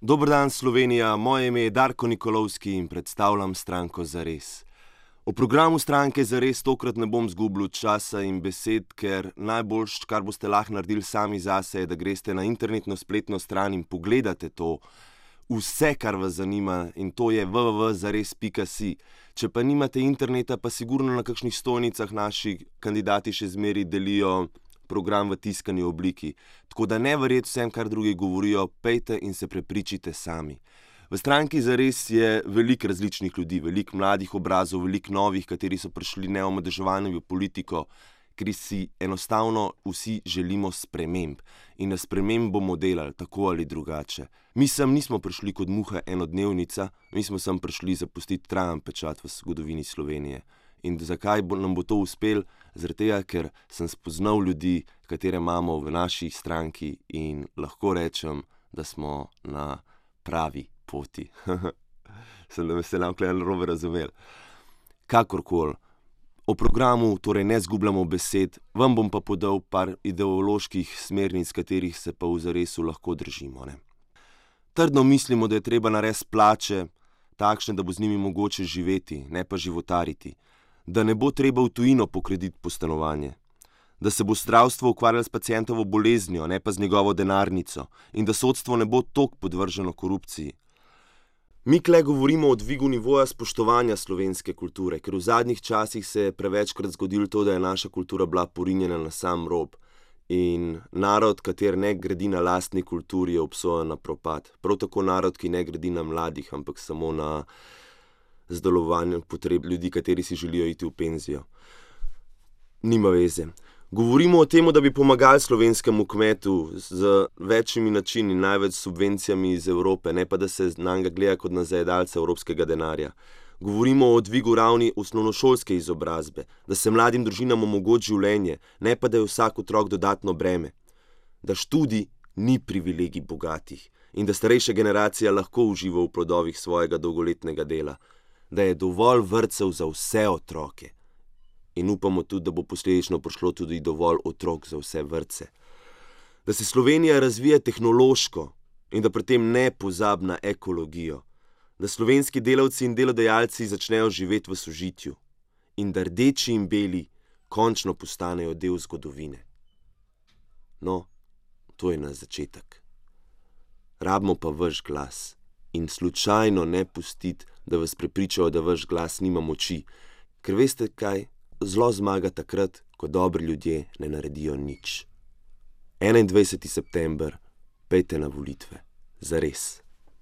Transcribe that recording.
Dober dan, Slovenija, moje ime je Darko Nikolovski in predstavljam stranko Zares. O programu stranke Zares tokrat ne bom zgubljal časa in besed, ker najboljš, kar boste lahko naredili sami zase, je, da greste na internetno spletno stran in pogledate to, vse, kar vas zanima, in to je www.zares.si. Če pa nimate interneta, pa sigurno na kakšnih stojnicah naši kandidati še zmeraj delijo program v tiskani obliki. Tako da ne verjeti vsem, kar drugi govorijo, pejte in se prepričite sami. V stranki Zares je veliko različnih ljudi, veliko mladih obrazov, veliko novih, kateri so prišli neomadeževani v politiko, ker si enostavno vsi želimo sprememb. In na sprememb bomo delali, tako ali drugače. Mi sem nismo prišli kot muha enodnevnica, mi smo sem prišli zapustiti trajen pečat v zgodovini Slovenije. In zakaj nam bo to uspelo? Zaradi tega, ker sem spoznal ljudi, katere imamo v naši stranki in lahko rečem, da smo na pravi poti. Sem da me se nam narobe razumeli. Kakorkoli, o programu torej ne zgubljamo besed, vam bom pa podal par ideoloških smernic, katerih se pa v Zaresu lahko držimo. Trdno mislimo, da je treba narediti plače takšne, da bo z njimi mogoče živeti, ne pa životariti. Da ne bo treba v tujino pokrediti po stanovanje, da se bo zdravstvo ukvarjalo s pacientovo boleznijo, ne pa z njegovo denarnico, in da sodstvo ne bo toliko podvrženo korupciji. Mi kle govorimo o dvigu nivoja spoštovanja slovenske kulture, ker v zadnjih časih se je prevečkrat zgodilo to, da je naša kultura bila porinjena na sam rob. In narod, kater ne gradi na lastni kulturi, je obsojen na propad. Prav tako narod, ki ne gradi na mladih, ampak samo na zadovoljevanju potreb ljudi, kateri si želijo iti v penzijo. Nima veze. Govorimo o tem, da bi pomagali slovenskemu kmetu z večjimi načini, največ subvencijami iz Evrope, ne pa da se na njega gleda kot na zajedalca evropskega denarja. Govorimo o dvigu ravni osnovnošolske izobrazbe, da se mladim družinam omogoči življenje, ne pa da je vsak otrok dodatno breme. Da študij ni privilegij bogatih in da starejša generacija lahko uživa v plodovih svojega dolgoletnega dela. Da je dovolj vrtcev za vse otroke. In upamo tudi, da bo posledično prišlo tudi dovolj otrok za vse vrtce. Da se Slovenija razvija tehnološko in da pri tem ne pozabi na ekologijo. Da slovenski delavci in delodajalci začnejo živeti v sožitju. In da rdeči in beli končno postanejo del zgodovine. No, to je na začetek. Rabimo pa vaš glas. In slučajno ne pustiti, da vas prepričajo, da vaš glas nima moči. Ker veste kaj? Zlo zmaga takrat, ko dobri ljudje ne naredijo nič. 21. september, pejte na volitve. Zares.